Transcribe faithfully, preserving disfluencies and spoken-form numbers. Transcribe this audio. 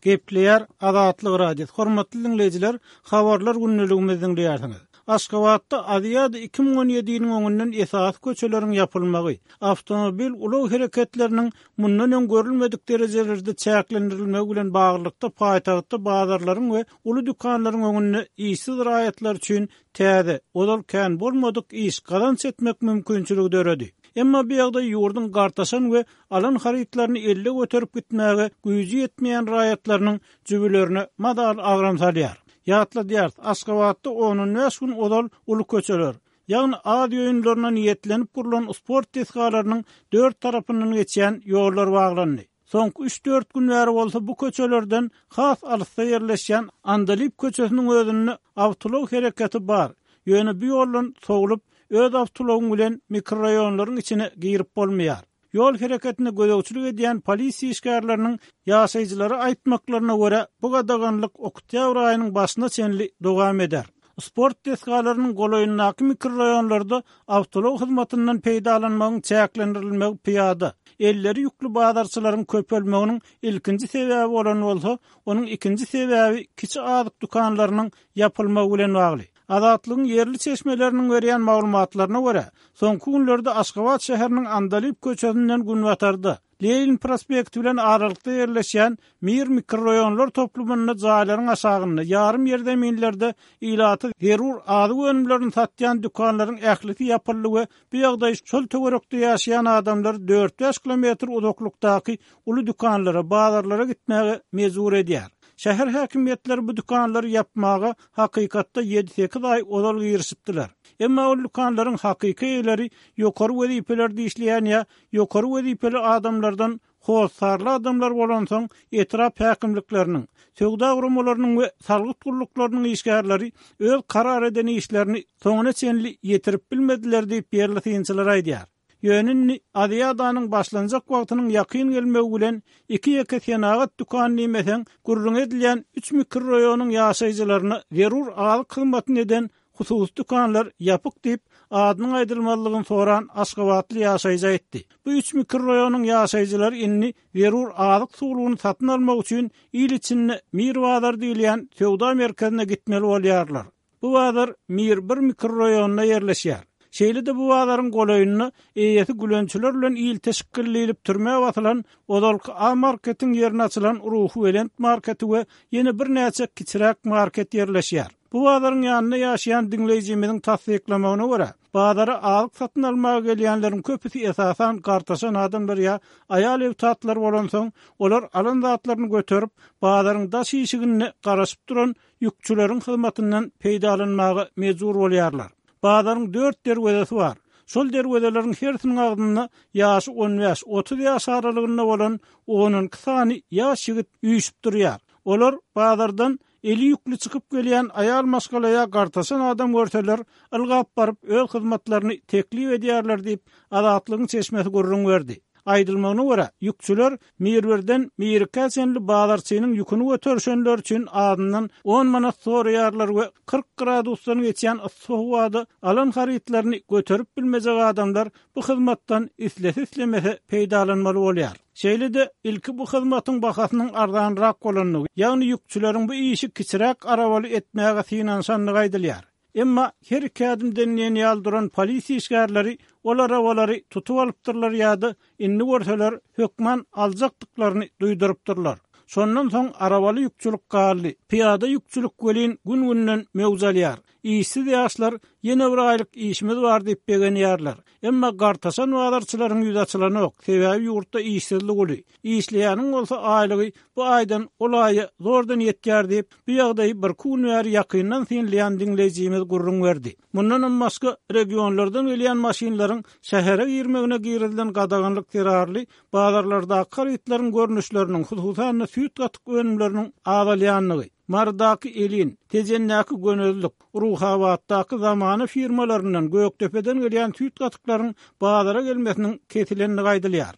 Gepleýär Azatlyk Radiosy. Hormatly diňleýjiler, habarlar gündeligimizi diňleýärsiňiz. Aşgabatda Aziada iki müň on ýediniň öňünden esasy köçeleriň ýapylmagy, awtomobil ulag hereketleriniň mundan öň görülmedik derejelerde çäklendirilmegi bilen baglylykda paýtagtda bazarlaryň we uly dükanlaryň öňünde işsiz raýatlar üçin täze, ozal kän bolmadyk iş, gazanç etmek mümkinçiligi döredi. Emma bu ýagdaý ýurduň gartaşan we alan harytlaryny elde göterip gitmäge güýji ýetmeýän raýatlarynyň jübülerine mazaly agram salýar. Ýatladýarys, Aşgabatda on bäş gün ozal uly köçeler, ýagny Aziýa oýunlaryna niýetlenip gurlan sport desgalarynyň dört tarapyndan geçýän ýollar baglandy. Soňky üç-dört gün bäri bolsa bu köçelerden has alysda ýerleşýän Andalyp köçesiniň özünde awtoulag hereketi bar. Ýöne bu ýoldan sowlup, öz awtoulagyň bilen mikroraýonlaryň içine girip bolmaýar. Ýol hereketine gözegçilik edýän polisiýa işgärleriniň ýaşaýjylara aýtmaklaryna görä, bu gadaganlyk oktýabr aýynyň başyna çenli dowam eder. Sport desgalarynyň golaýyndaky mikroraýonlarda awtoulag hyzmatyndan peýdalanmagyň çäklendirilmegi pyýada, elleri ýükli bazarçylaryň köpelmeginiň ilkinji sebäbi bolan bolsa, onuň ikinji sebäbi kiçi azyk dükanlarynyň ýapylmagy bilen bagly. Azatlygyň ýerli çeşmeleriniň berýän maglumatlaryna görä, soňky günlerde Aşgabat şäheriniň Andalyp köçesinden günbatarda, Lenin prospekti bilen aralykda ýerleşýän Mir mikroraýonlar toplumynda jaýlaryň aşagynda ýarym ýerzeminlerde ilaty zerur azyk önümlerini satýan dükanlaryň ählisi ýapyldy we bu ýagdaý şol töwerekde ýaşaýan adamlar dört-bäş kilometr uzaklykdaky uly dükanlara, bazarlara gitmäge mejbur edýär. Şäher häkimiýetleri bu dükanlary ýapmaga hakykatda ýedi-sekiz aý ozal girişipdiler. Emma ol dükanlaryň hakyky eýeleri ýokary wezipelerde işleýän ýa ýokary wezipeli adamlardan hossarly adamlar bolansoň etrap häkimlikleriniň, söwda guramalarynyň we salgyt gulluklarynyň işgärleri öz karar eden işlerini soňuna çenli ýetirip bilmediler diýip ýerli synçylar aýdýar. Ýöne indi Aziadanyň başlanjak wagtynyň ýakyn gelmegi bilen iki ýeke senagat dükany diýmeseň, gürrüň edilýän üç mikroraýonyň ýaşaýjylaryna zerur azyk hyzmatyny eden hususy dükanlar ýapyk diýip, adynyň aýdylmazlygyny soran Aşgabatly ýaşaýjy aýtdy. Bu üç mikroraýonyň ýaşaýjylary indi zerur azyk suwlugyny satyn almak üçin il içinde Mir bazar diýilýän söwda merkezine gitmeli bolýarlar. Bu bazar Mir bir mikroraýonynda ýerleşýär. Şeýle-de bu bazaryň golaýynda eýesi gülençiler bilen il teşkillilip türmä basylan ozalky A marketiň ýerine açylan Ruhubelent marketi we ýene birnäçe kiçiräk market ýerleşýär. Bu bazaryň ýanynda ýaşaýan diňleýjimiziň tassyklamagyna görä, bazara azyk satyn almaga gelýänleriň köpüsi esasan gartaşan adamlar ýa aýal ewtatlar bolansoň, olar alan zatlaryny göterip, bazaryň daş işiginde garaşyp duran ýükçüleriň hyzmatyndan peýdalanmaga mejbur bolýarlar. Bazaryň dört derwezesi bar. Şol derwezeleriň hersiniň agzynda ýaşy on bäş, otuz ýaş aralygynda bolan on iki sany ýaş ýigit üýşüp durýar. Olar bazardan eli ýükli çykyp gelýän aýal maşgalaya gartaşan adam görseler, ylgap baryp öz hyzmatlaryny teklip edýärler diýip, Azatlygyň çeşmesi gürrüň berdi. Aýdylmagyna görä, ýükçüler Mirwirden Mirkä çenli bazarçynyň ýüküni göterişenler üçin azyndan on manat soraýarlar we kyrk gradusdan geçýän yssy howada alan harytlaryny göterip bilmejek adamlar bu hyzmatdan islese islemese peýdalanmaly bolýar. Şeýle-de ilki bu hyzmatyň bahasynyň arzanrak bolandygy, ýagny ýükçüleriň bu işi kiçiräk arabaly etmäge synanyşandygy aýdylýar. Emma her iki ädimden diýen ýaly duran polisiýa işgärleri ol arabalary tutup alypdyrlar ýa-da indi görseler hökman aljakdyklaryny duýdurypdyrlar. Şondan soň arabaly ýükçülik galdy. Pyýada ýükçülik welin gün-günden möwç alýar. Işsiz ýaşlar ýene bir aýlyk işimiz bar diýip begenýärler. Emma gartaşan bazarçylaryň ýüzi açylanok, sebäbi ýurtda işsizlik uly. Işleýäniň bolsa aýlygy bu aýdan ol aýa zordan ýetýär diýip, bu ýagdaýy bir gün bäri ýakyndan synlaýan diňleýjimiz gürrüň berdi. Mundanam başga regionlardan gelýän maşynlaryň şähere girmegine girizilen gadaganlyk zerarly bazarlardaky harytlaryň görnüşleriniň, hususan-da süýt gatyk önümleriniň azalýandygy, Marydaky Elin, Tejendäki Gönezlik, Ruhabatdaky Zamana firmalaryndan Gökdepeden gelýän süýt gatyklaryň bazara gelmesiniň kesilendigi aýdylýar.